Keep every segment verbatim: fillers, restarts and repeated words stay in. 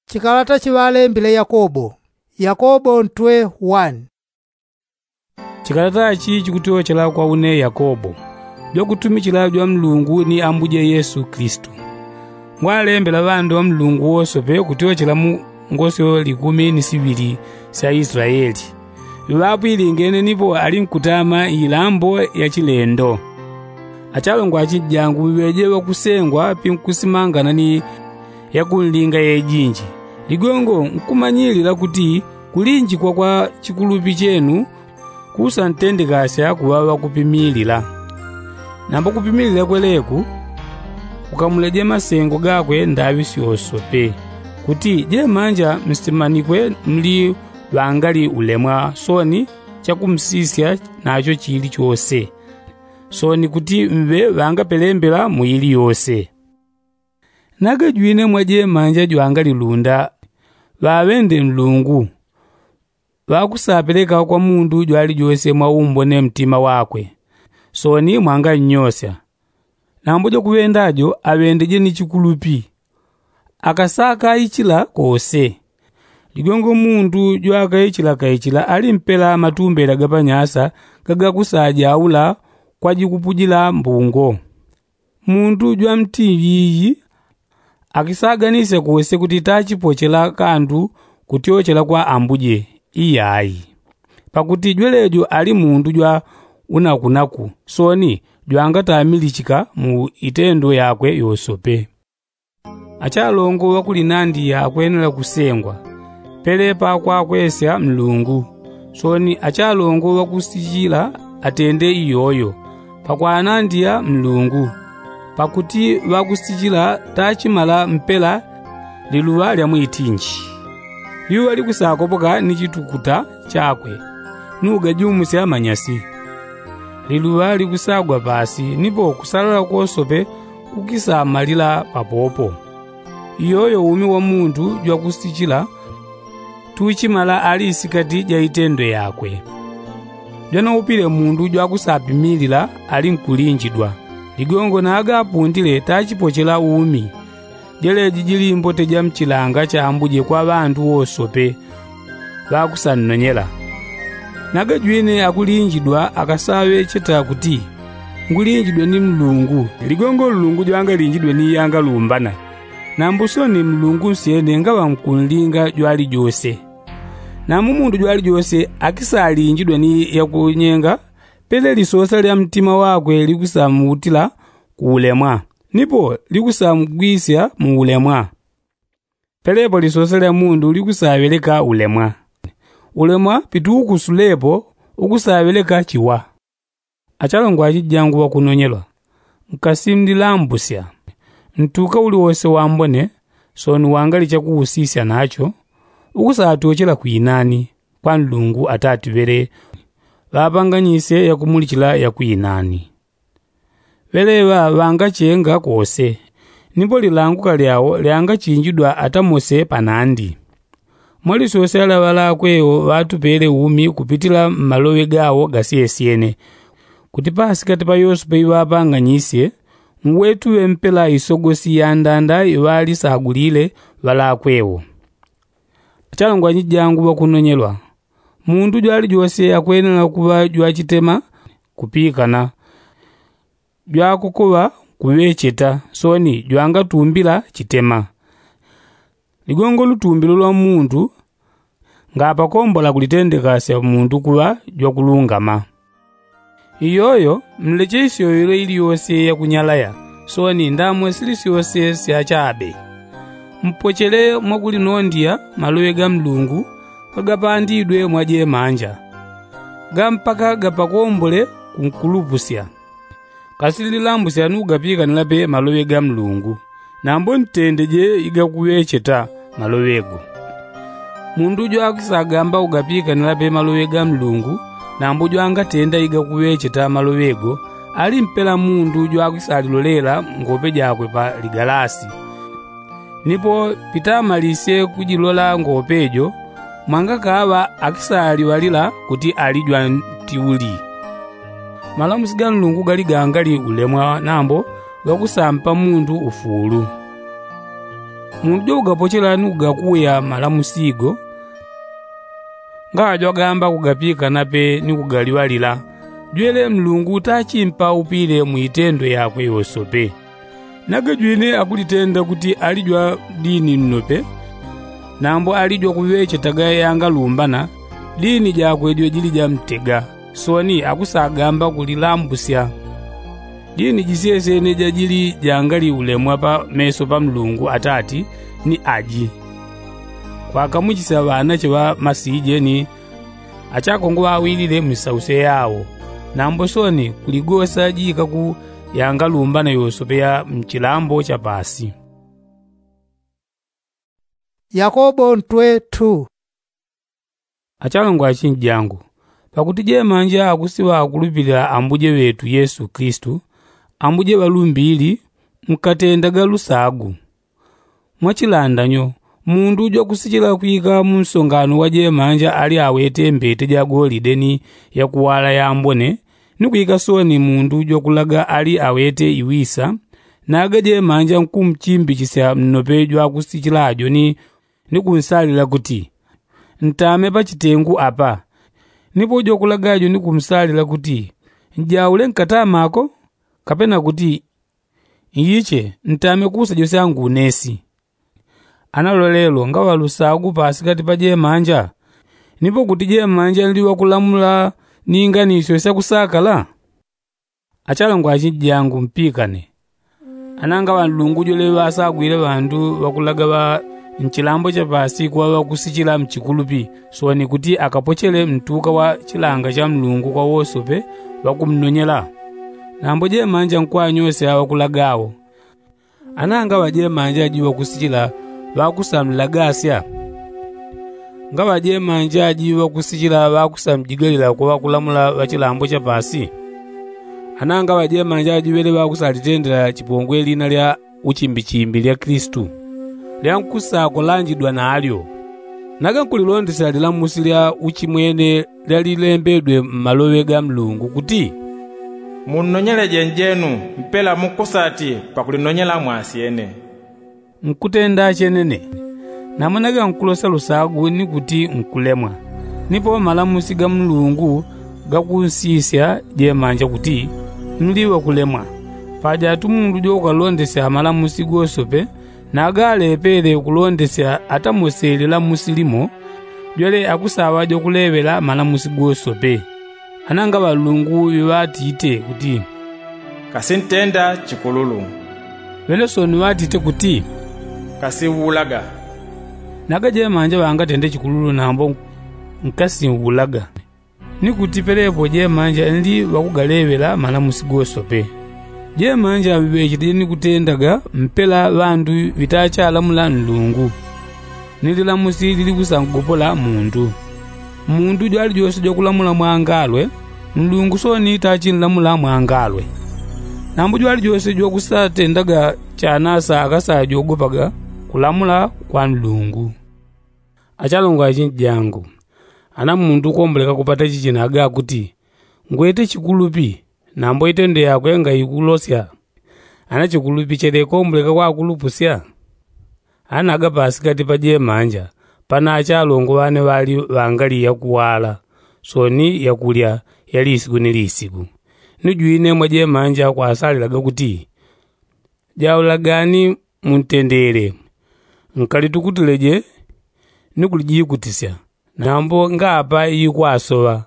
Chikalata chiŵalembile yakobo. Yakobo ntwe wani. Chikalata chi chikutyochela kwa une yakobo, jwakutumichila jwa mlungu ni ambuje yesu kilisitu. Ngwalembela ŵandu ŵa mlungu wosope kutyochela mu ngosyo likumi ni siŵili sya isilayeli, iŵapwilingene nipo ali nkutama ilambo ya chilendo. Achalongwa achinjangu ŵeje ŵakusengwa pinkusimangana ni yakunlinga yejinji, ligongo nkumanyilila kuti kulinjikwa kwa chikulupi chenu kusantendekasya kuŵa ŵakupimilila. Nambo kupimilila kweleku kukamuleje masengo gakwe ndaŵi syosope, kuti jemanja msimanikwe mli ŵangali ulemwa soni chakumsisya nacho chili chose, soni kuti mŵe ŵangapelembela mu ili yose. Nagajwine mwa jemanja jwangali lunda ŵaŵende nlungu, ŵakusapeleka kwa mundu jwalijose mwaumbone mtima wakwe, soni mwangannyosya. Nambo jwakuŵenda jo aŵendeje ni chikulupi, akasakaichila kose. Ligongo mundu jwakaichila kaichila ali mpela matumbela gapanyasa gagakusajaula kwa jikupujila mbungo. Mundu jwamtiiyi akisaganisya kose kuti tachipochela kandu kutyochela kwa ambuje, iyayi. Pakuti jwelejo ali mundu jwa unakunaku soni jwangatamilichika mu itendo yakwe yosope. Achalongo ŵakulinandiya akwenela kusengwa, pelepa kwakwesya nlungu. Soni achalongo ŵakusichila atende iyoyo pakwanandiya nlungu, pakuti ŵakusichila tachimala mpela liluŵa lya mwitinji. Liuŵa likusakopoka ni chitukuta chakwe, nugajumusya manyasi. Liluŵa likusagwa pasi nipo kusalala kwosope kukisamalila papopo. Iyoyo umi wa mundu jwakusichila tuchimala ali isikati ja itendo yakwe. Jwanaupile mundu jwakusapimilila ali nkulinjidwa, ligongo nagapundile tachipochela umi. Jeleji jili mbote ja mchilanga cha ambuje kwa ŵandu wosope ŵakusannonyela. Nagajwine akulinjidwa akasaŵecheta kuti ngulinjidwe ni mlungu, ligongo nlungu jwangalinjidwe ni yangalumbana. Nambo soni mlungu nsyene ngaŵa nkunlinga jwalijose. Nambo mundu jwalijose akisalinjidwe ni yakunyenga, pele lisosa lya mtima wakwe likusamuutila ku ulemwa, nipo likusamugwisya mu ulemwa. Pelepo lisosa lya mundu likusaŵeleka ulemwa. Ulemwa pituukusulepo ukusaŵeleka chiwa. Achalongwa achijangu ŵakunonyelwa, nkasimlilambusya ntuka uliwose wambone soni wangali chakuusisya nacho, ukusatyochela kwinani kwa nlungu atati ŵele ŵapanganyisye yakumulichila yakwinani. Ŵeleŵa ŵangachenga kose, nipo lilanguka lyao lyangachinjidwa atamose panandi. Mwalisosela ŵalakwewo ŵatupele umi kupitila mmaloŵe gawo gasyesyene, kuti pasikati pa yosepe iŵapanganyisye ngwetuŵe mpela isogosi yandanda iŵalisagulile ŵalakwewo. Achalongwa nyijangu ŵakunonyelwa, mundu jwalijose akwenela kuŵa jwachitema kupikana, jwakukuŵa kuŵecheta soni jwangatumbila chitema. Ligongo lutumbilo lwa mundu ngapakombola kulitendekasya mundu kuŵa jwakulungama. Iyoyo mleche isyoyelo iliyose yakunyalaya soni ndamwe sili syose syachabe. Mpochele mwakulinondya maloŵe ga mlungu gagapandidwe mwa jemanja, ga mpaka gapakombole kunkulupusya. Kasi lilambusya nukugapikanila pe maloŵe ga mlungu, nambo ntendeje igakuŵecheta maloŵe go. Mundu jwakwisagamba kugapikanila pe maloŵe ga mlungu, nambo jwangatenda igakuŵecheta maloŵe go, ali mpela mundu jwakwisalilolela ngope jakwe pa ligalasi. Nipo pitamalisye kujilola ngope jo, mwangakaŵa akisaliŵalila kuti ali jwantiuli. Malamusi ga nlungu gali gangali ulemwa nambo gakusampa mundu ufuulu. Mundu jokugapochela ni kugakuya malamusi go ngaŵa jwagamba kugapikana pe ni kugaliŵalila, jwele mlungu tachimpa upile mu itendo yakwe yosope. Nage jwine akulitenda kuti ali jwa dini nnope, nambo ali jwakuŵechetaga yangalumbana, dini jakwe jwejili jamtega. Soni akusagamba kulilambusya. Dini jisyesene jajili jangali ulemwa pa meso pa mlungu atati ni aji, kwakamuchisya ŵanache ŵa masije ni achakongo ŵawilile mwisause yao. Nambo soni kuligosa jikaku yangalumbana yosope ya mchilambo cha pasi. Yakobo ntwe tu. Achalongo achinji jangu, pakuti jemanja akusiŵa akulupilila ambuje ŵetu yesu kilisitu, ambuje ŵalumbili, mkatendaga lusagu. Mwachilandanyo, mundu jwakusichila kwika mu nsongano wa jemanja ali awete mbete ja golide ni yakuwala yambone, ni kwika soni mundu jwakulaga ali awete iwisa, naga jemanja nkumuchimbichisya nnope jwakusichila ajo ni ni kunsalila kuti, ntame pa chitengu apa. Nipo jwakulaga ajo ni kumsalila kuti, njaule nkatama ako, kapena kuti, nyiche ntame kusa jose angunesi. Ana lwalelo ngaŵa lusagu pasikati pa jemanja? Nipo kuti jemanja nli wakulamula ni inganisyo syakusakala? Achalongo achinji jangu mpikane, ananga ŵanlungu jwele ŵasagwile ŵandu ŵakulaga ŵa nchilambo cha pasi kuŵa ŵakusichila mchikulupi, soni kuti akapochele mtuka wa chilanga cha mlungu kwa wosope ŵakumnonyela. Nambo jemanja nkwanyosya ŵakulaga awo. Ananga ŵajemanja aji ŵakusichila ŵakusamlagasya? Ngaŵa jemanja aji ŵakusichila ŵakusamjigalila kwa ŵakulamula ŵa chilambo cha pasi? Ananga ŵajemanja aji ŵele ŵakusalitendela chipongwe lina lya uchimbichimbi lya kilisitu, lyankusakolanjidwa nalyo? Naga nkulilondesya lilamusi lya uchimwene lyalilembedwe mmaloŵe ga mlungu kuti, munnonyeleje njenu mpela mukusati pakulinonyela mwasyene. Nkutenda chenene. Namwene gankulosya lusagu ni kuti nkulemwa, nipo malamusi ga mlungu gakunsisya jemanja kuti, mli wakulemwa. Paja atu mundu jokukalondesya malamusi gosope, naga alepele kulondesya atamosele lamusi limo, jwele akusaŵa jokuleŵela malamusi gosope. Ananga ŵalungu ŵiŵatite kuti, kasintenda chikululu. Ŵelesoni ŵatite kuti, kasiwulaga. Naga jemanja ŵangatende chikululu nambo nkasinwulaga. Ni kuti pelepo jemanja nli ŵakugaleŵela malamusi gosope. Jemanja ŵiŵecheleje ni kutendaga mpela ŵandu ŵitachalamula nlungu, ni lilamusi lilikusangopola mundu. Mundu jwalijose jwakulamula mwangalwe, nlungu soni tachinlamula mwangalwe. Nambo jwalijose jwakusatendaga chanasa akasajogopaga kulamula kwa nlungu. Achalongo achinji jangu, ana mundu komboleka kupata chichina aga kuti, ngwete chikulupi, nambo itendo yakwe ngaikulosya, ana chikulupi chele komboleka kwakulupusya? Ana aga pasikati pa jemanja pana achalongo ŵane ŵali ŵangali yakuwala, soni yakulya ya lisiku ni lisiku. Ni jwine mwa jemanja kwasalilaga kuti, jaulagani muntendele, nkalitukutuleje ni kulijikutisya, nambo ngapa ikwasoŵa.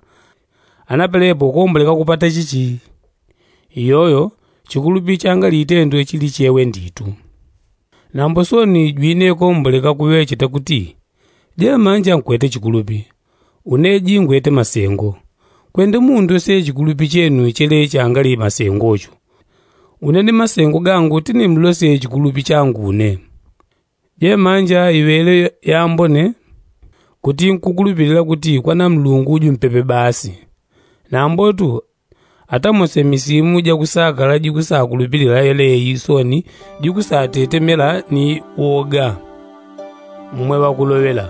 Ana pelepo komboleka kupata chichi? Iyoyo chikulupi changali itendwe chili chewe nditu. Nambo soni jwine komboleka kuŵecheta kuti, jemanja nkwete chikulupi, une jingwete masengo. Kwende mundosye chikulupi chenu chele changali masengo cho. Une ni masengo gangu tinimlosye chikulupi changu une. Jemanja iŵele yambone kuti nkukulupilila kuti kwana mlungu jumpepe basi. Nambotu atamose misimu jakusakala jikusakulupilila yeleyi soni jikusatetemela ni woga. Mmwe ŵakuloŵela,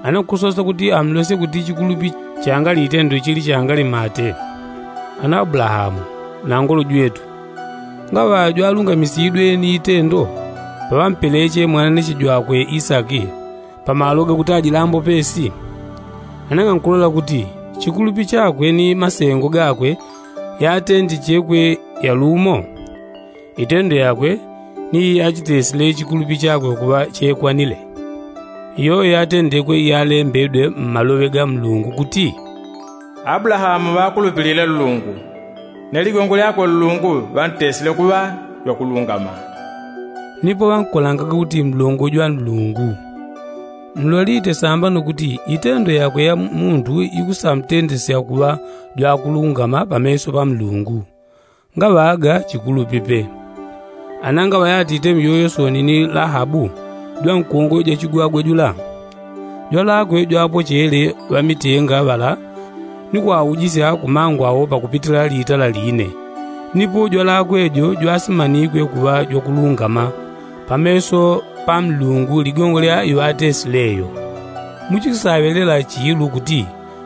ana nkusosa kuti amlosye kuti chikulupi changali itendo chili changali mate? Ana abulahamu, na ngolo jwetu, ngaŵa jwalungamisidwe ni itendo? paŵampeleche mwananeche jwakwe isaki pamalo gakuti ajilambo pesi? Anang'ankulola kuti chikulupi chakwe ni masengo gakwe yatendichekwe yalumo. Itendo yakwe ni yachitesile chikulupi chakwe kuŵa chekwanile. Iyoyo yatendekwe iyalembedwe mmaloŵe ga mlungu kuti, abulahamu ŵakulupilile nlungu, ne ligongo lyakwe nlungu ŵantesile kuŵa jwakulungama. Nipo ŵankolangaga kuti mlongo jwa nlungu. Mlolite sambano kuti itendo yakwe ya muntu ikusamtendesya kuŵa jwakulungama pameso pa mlungu. Ngaŵaga chikulupi pe. Anangaŵa yatite myoyo soni ni lahabu jwankongo jachigwagwe jula. Jwalakwe jwapochele ŵamitenga ŵala ni kwaujisya kumangwawo pakupitila litala line. Nipo jwalakwe jo jwasimanikwe kuŵa jwakulungama pameso pa mlungu ligongo lya iŵatesileyo. Muchikusaŵelela chilu kuti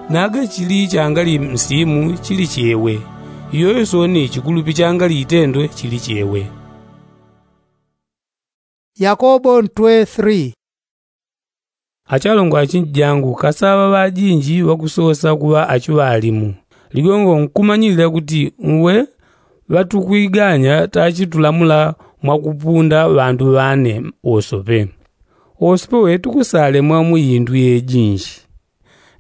naga chili changali msimu chili chewe. Iyoyo soni chikulupi changali itendo chili chewe. Yakobo ntwe three. Achalongo achinjijangu kasaŵa ŵajinji ŵakusosa kuŵa achiŵalimu. Ligongo nkumanyilila kuti uwe ŵatukwiganya tachitulamula mwakupunda ŵandu ŵane wosope. Wosope we tukusalemwa mu indu yejinji.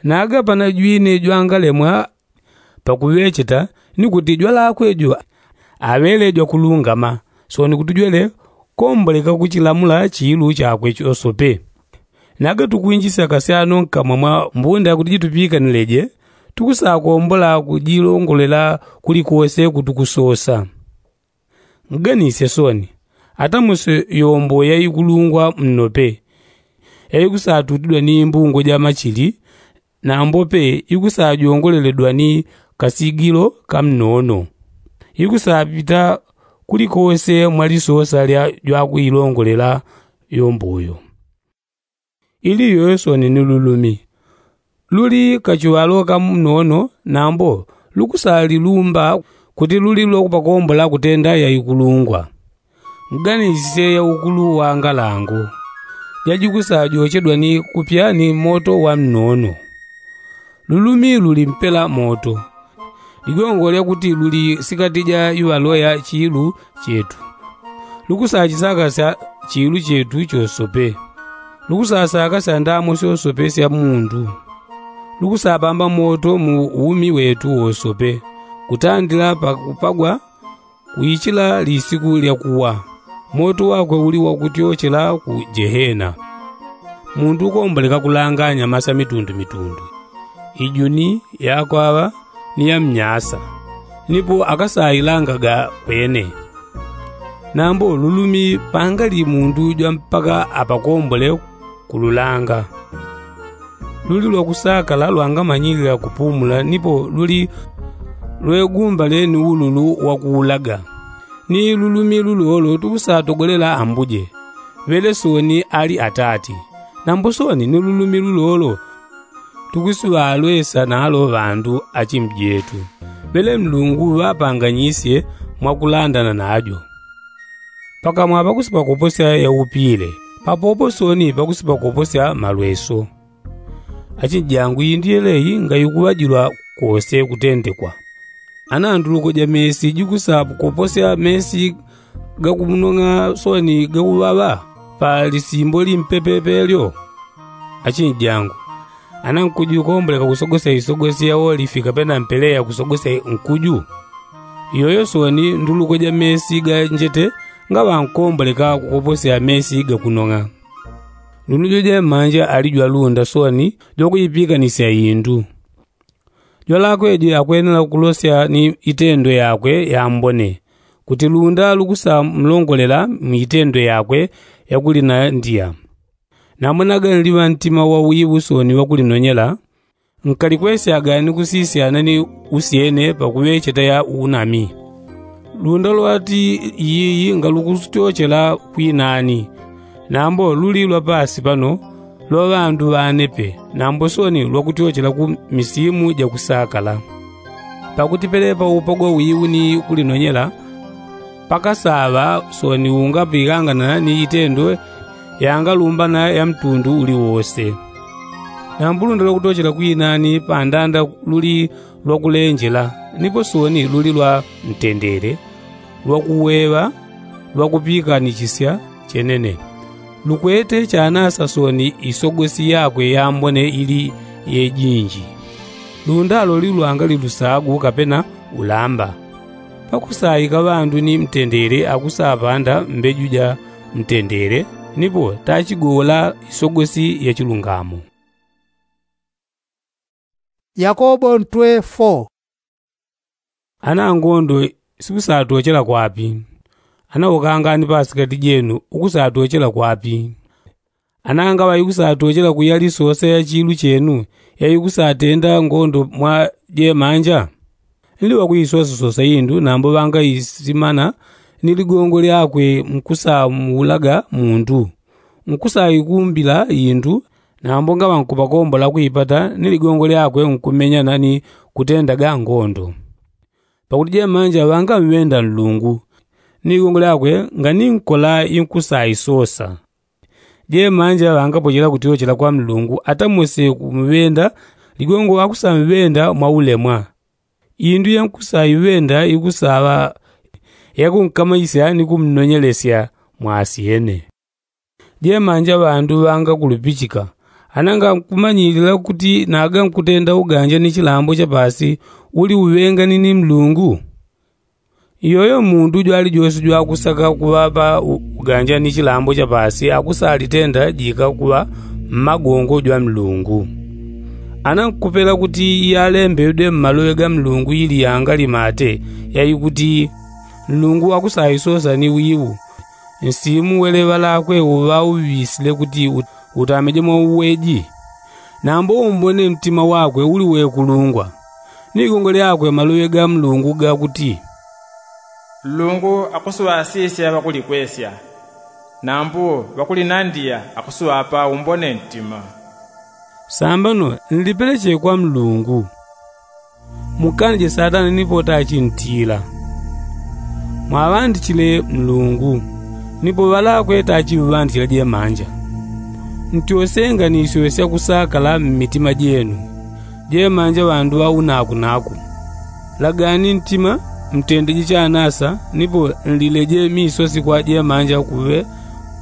Naga panajwine jwangalemwa pakuŵecheta ni kuti jwalakwe jo aŵele jwakulungama soni kuti jwele komboleka kuchilamula chilu chakwe chosope. Naga tukwinjisya kasyano nkamwa mwa mbunda kuti jitupikanileje tukusakombola kujilongolela kulikose kutukusosa. Nganisye soni, atamuso yombo yaikulungwa mnope, yaikusatutidwa ni mbungo ja machili nambo pe ikusajongoleledwa ni kasigilo kamnono. Ikusapita kulikose mwa lisosa lya jwakuilongolela yombo yo. Ili yoyo soni ni lulumi luli kachiŵalo kamnono nambo lukusalilumba kuti luli lwakupakombola kutenda yaikulungwa. Nganisisye yaukulu wa ngalango jajikusajochedwa ni kupya ni moto wa mnono. Lulumi luli mpela moto. Ligongo lyakuti luli sikati ja iŵalo ya chilu chetu lukusachisakasya chilu chetu chosope. Lukusasakasya ndamo syosope sya mundu. Lukusapamba moto mu umi wetu wosope kutandila pakupagwa kuichila lisiku lya kuwa. Moto wakwe uli wakutyochela ku jehena. Mundu ukomboleka kulanganya masa mitundumitundu, ijuni yakwaŵa ni ya mnyasa. Nipo akasailangaga kwene. Nambo lulumi pangali mundu jwa mpaka apakombole kululanga. Luli lwakusakala lwangamanyilila kupumula nipo luli lwegumbale ni ululu wakuulaga. Ni lulumi lulolo tukusatogolela ambuje ŵele soni ali atati. Nambo soni ni lulumi lulolo tukusiŵalwesa nalo ŵandu achimjetu ŵele mlungu ŵapanganyisye mwakulandana najo. Pakamwa pakusipakoposya yaupile papopo soni pakusipakoposya malweso. Achinjangu iyi ndiyeleyi ngayikuŵajilwa kose kutendekwa. Ana nduluko ja mesi jikusakoposya mesi gakunong'a soni gakuŵaŵa pa lisimbo limpepepe lyo. Achinjangu, ana nkuju ikomboleka kusogosya isogosi ya olifi kapena mpeleya kusogosya nkuju? Iyoyo soni nduluko ja mesi ga njete ngaŵankomboleka kukoposya mesi gakunong'a. Lunujo jemanja ali jwalunda soni jwakujipikanisya indu. Jwalakwe jo yakwenela kulosya ni itendo yakwe yambone kuti lunda lukusamlongolela mu itendo yakwe yakulinandiya. Nambonaga nliŵa ntima wa wiŵu soni wakulinonyela nkalikwesyaga ni kusisyana ni usyene pakuŵecheta ya unami. Lunda lwati iyiyi ngalukutyochela kwinani. Nambo luli lwa pasi pano lwa ŵandu ŵane pe nambo soni lwakutyochela ku misimu jakusakala. Pakuti pelepa upagwa wiwu ni kulinonyela Pakasaŵa soni ungapikangana ni itendo yangalumbana ya mtundu uliwose. Nambo lunda lwakutochela kwinani pandanda luli lwakulenjela, nipo soni luli lwa mtendele, lwakuweŵa, lwakupiikanichisya chenene. Lukwete chanasa soni isogosi yakwe yambone ili yejinji. Lundalo lilwanga lilusagu kapena ulamba. Pakusaika ŵandu ni mtendele akusapanda mbeju ja mtendele, nipo tachigola isogosi ya chilungamo. Yakobo ntwe four. Ana angondo sikusatochela kwapi? Ana ukangani pasikati jenu ukusatochela kwapi? Ana ngaŵa ikusatochela kuyali sosa ya chilu chenu ya ikusatenda ngondo mwa jemanja? Nli wakuisosasosa indu nambo ŵangaisimana ni ligongo lyakwe nkusamuulaga mundu, nkusaikumbila indu. Nambo ngaŵa nkupakombola kuipata ni ligongo lyakwe nkumenyana ni kutendaga ngondo. Pakuti jemanja ŵangamwenda nlungu, ni ligongo lyakwe nganikola inkusaisosa. Jemanja ŵangapochela kutyochela kwa mlungu atamwese kumwenda ligongo akusamwenda mwaulemwa. Indu yankusaiwenda ikusaŵa yakunkamanyisya ni kumnonyelesya mwasyene. Jemanja ŵandu ŵangakulupichika ana ngankumanyilila kuti naga nkutenda uganja ni chilambo cha pasi uli uŵengani ni mlungu? Iyoyo mundu jwalijose jwakusaka kuŵapa uganja ni chilambo cha pasi akusalitenda jika kuŵa mmagongo jwa mlungu. Ana nkupela kuti iyalembedwe mmaloŵe ga mlungu ili yangalimate yaikuti mlungu akusaisosa ni wiwu nsimu weleŵa lakwe uŵauŵisile kuti utameje mwauweji. Nambo umbone mtima wakwe uli wekulungwa ni ligongo lyakwe maloŵe ga mlungu gakuti, nlungu akusuŵasisya ŵakulikwesya, nambo ŵakulinandiya akusuŵapa umbone mtima. Sambano nlipeleche kwa mlungu. Mukanje satana nipo tachintila. Mwaŵandichile mlungu nipo ŵalakwe tachiŵandichila jemanja. Ntyosenga ni isyo syakusakala mmitima jenu. Jemanja ŵandu ŵaunakunaku. Lagani ntima mtendeje chanasa nipo nlileje misosi kwa jemanja kuŵe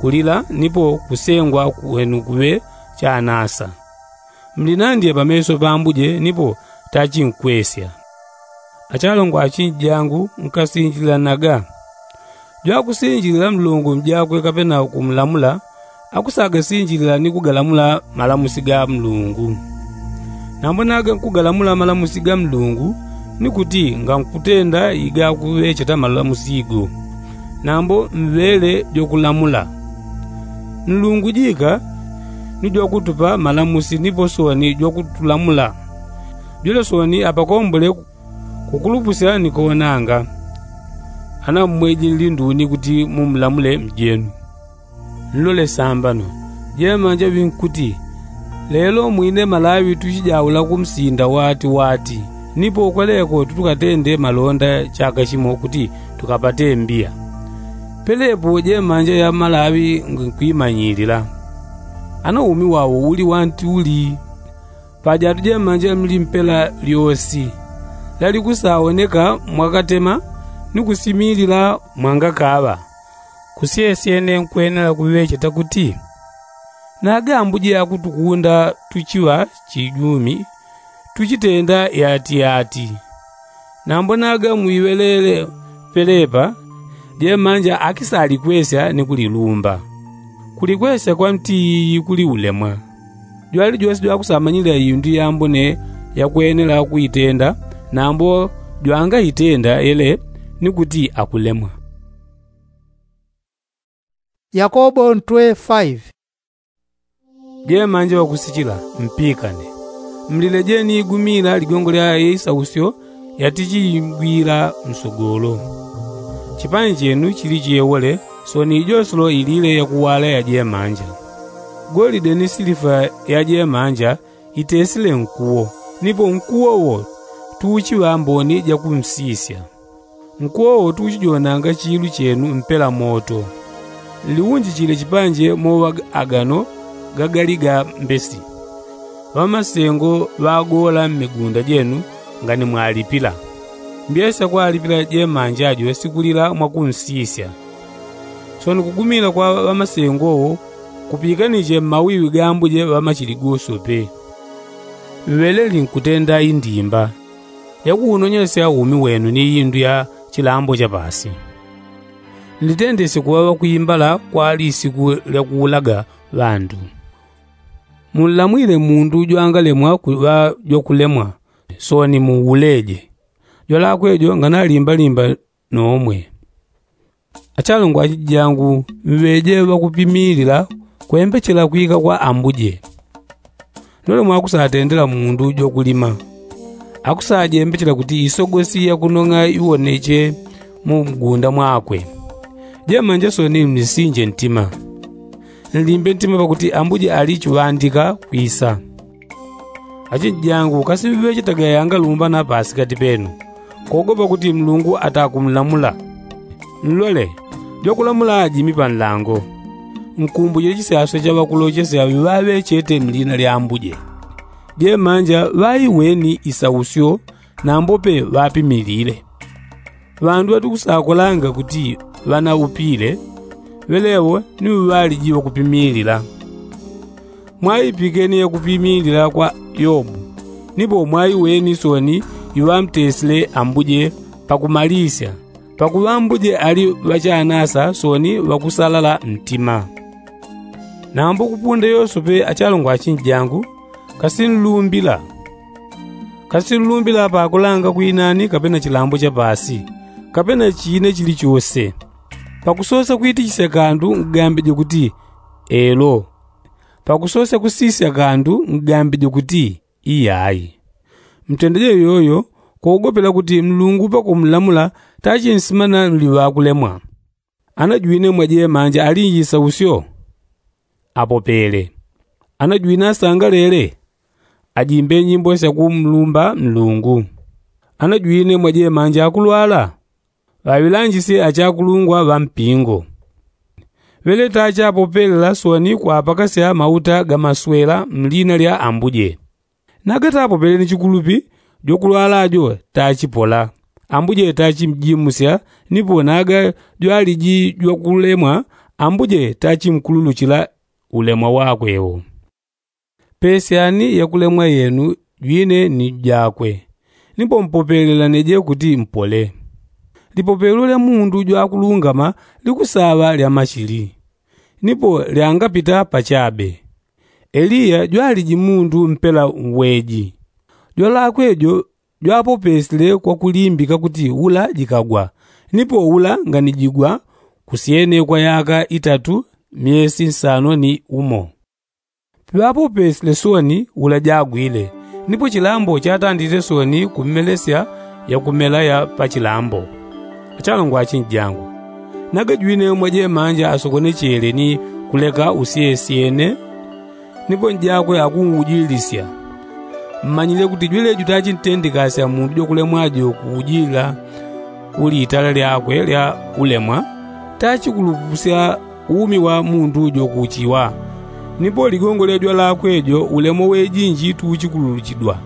kulila nipo kusengwa kwenu kuŵe chanasa. Mlinandye pameso pambuje nipo tachinkwesya. Achalongo achinji jangu nkasinjililanaga. Jwakusinjilila mlungu mjakwe kapena kumlamula akusagasinjilila ni kugalamula malamusi ga mlungu. Nambo naga nkugalamula malamusi ga mlungu ni kuti ngankutenda igakuŵecheta malamusi go. Nambo mŵele jwakulamula. Nlungu jika ni jwakutupa malamusi nipo soni jwakutulamula. Jwele soni apakombole kukulupusya ni koonanga. Ana mmweji nlinduni kuti mumlamule mjenu. Nlole sambano. Jemanja ŵinkuti, lelo mwine malaŵi tuchijaula kumsinda wati wati nipo kweleko tutukatende malonda chaka chimo kuti tukapate mbiya. Pelepo jemanja ya malaŵi nkwimanyilila. Ana umi wawo uli wanti uli. Pajatu jemanja mlimpela lyosi lalikusaoneka mwakatema ni kusimilila mwangakaŵa. Kusyesyene nkwenela kuŵecheta kuti naga ambuje akutukunda tuchiŵa chijumi tuchitenda yatiyati. Nambo naga mwiŵelele pelepa jemanja akisalikwesya ni kulilumba. Kulikwesya kwa mtiiyi kuli ulemwa. Jwalijose jwakusamanyilila indu yambone yakwenela kuitenda nambo jwangaitenda yele ni kuti akulemwa. Yakobo ntwe five. Jemanja wakusichila mpikane. Mlilejeni igumila ligongo lya isausyo yatichigwila msogolo. Chipani chenu chili chiyewole soni ijosolo ilile yakuwala ya jemanja. Golide ni silifa ya jemanja itesile nkuwo nipo nkuwo wo tuuchiŵa mboni jakumsisya. Nkuwowo tuchijonanga chilu chenu mpela moto. Nliunjichile chipanje mowa agano gagali ga mbesi. Ŵamasengo ŵagola mmigunda jenu ngani mwalipila. Mbyesa kwalipila jemanja jo sikulila mwakunsisya. Soni kugumila kwa ŵamasengo wo kupikanije mmawiwi ga ambuje ŵamachili gosope. Ŵeleli nkutenda indimba yakuunonyesya umi wenu ni indu ya chilambo chapasi. Nlitendesye kuŵa ŵakwimbala kwa lisiku lyakuulaga ŵandu. Munlamwile mundu jwangalemwa kuŵa jwakulemwa, soni muuleje. Jwalakwe jo nganalimbalimba nomwe. Achalongwa achijangu, mŵeje ŵakupimilila kwembechela kwika kwa ambuje. Lole mwakusatendela mundu jwakulima akusajembechela kuti isogosi yakunong'a iwoneche mu mgunda mwakwe. Jemanja soni mlisinje ntima. Nlimbe ntima pakuti ambuje ali chiŵandika kwisa. Achinjangu, kasi mŵeje tagayanga lumbana pasikati penu kogopa kuti mlungu atakumlamula. Nlole, jwakulamula ajimi panlango. Nkumbujile chisaswe cha ŵakulochesya ŵaŵechete mlina lya ambuje. Jemanja ŵaiweni isausyo nambope ŵapimilile. Ŵandu ŵatukusakolanga kuti ŵanaupile ŵelewo ni ŵaliji ŵakupimilila. Mwaipikeni yakupimilila kwa yobu. Nipo mwaiweni soni iŵamtesile ambuje pakumalisya pakuŵa ambuje ali ŵachanasa soni ŵakusalala ntima. Nambo kupunda yosope achalongwa achinjangu, kasinlumbila kasinlumbila pakulanga kwinani kapena chilambo chapasi kapena chine chilichose. Pakusosa kwitichisya kandu ngambeje kuti elo. Pakusosa kusisya kandu ngambeje kuti iyayi. Mtendeje yoyo kogopela kuti mlungu pakumlamula tachinsimana mliŵakulemwa. Anajwine mwajemanja alinjisa usyo apopele. Anajwine asangalele ajimbe nyimbo syakumlumba mlungu. Anajwine mwajemanja akulwala ŵaŵilanjisye achakulungwa ŵampingo. Ŵele tachapopelela soni kwapakasya mauta gamaswela mlina lya ambuje. Nagatapopele ni chikulupi jwakulwala jo tachipola. Ambuje tachimjimusya nipo naga jwaliji jwakulemwa ambuje tachimkululuchila ulemwa wakwe wo. Pesyani yakulemwa yenu jwine ni jakwe. Nipo mpopelelaneje kuti mpole. Lipopelo lya mundu jwakulungama likusaŵa lya machili. Nipo lyangapita pachabe. Eliya jwaliji mundu mpela weji. Jwalakwe jo jwapopesile kwakulimbika kuti ula jikagwa. Nipo ula nganijigwa kusyene kwa yaka itatu myesi nsano ni umo. Piŵapopesile soni ula jagwile. Nipo chilambo chatandile soni kumelesya yakumela ya pachilambo. Achalongwa achinjangu, nagajwine mwajemanja asokonechele ni kuleka usyesyene. Nipo njakwe akungujilisya. Mmanyile kuti jwelejo tachintendekasya mundu jwakulemwa jo kujila kuli itala lyakwe lya ulemwa. Tachikulupusya umi wa mundu jo kuchiwa. Nipo ligongo lya jwalakwe jo ulemwa wejinji tuchikululuchidwa.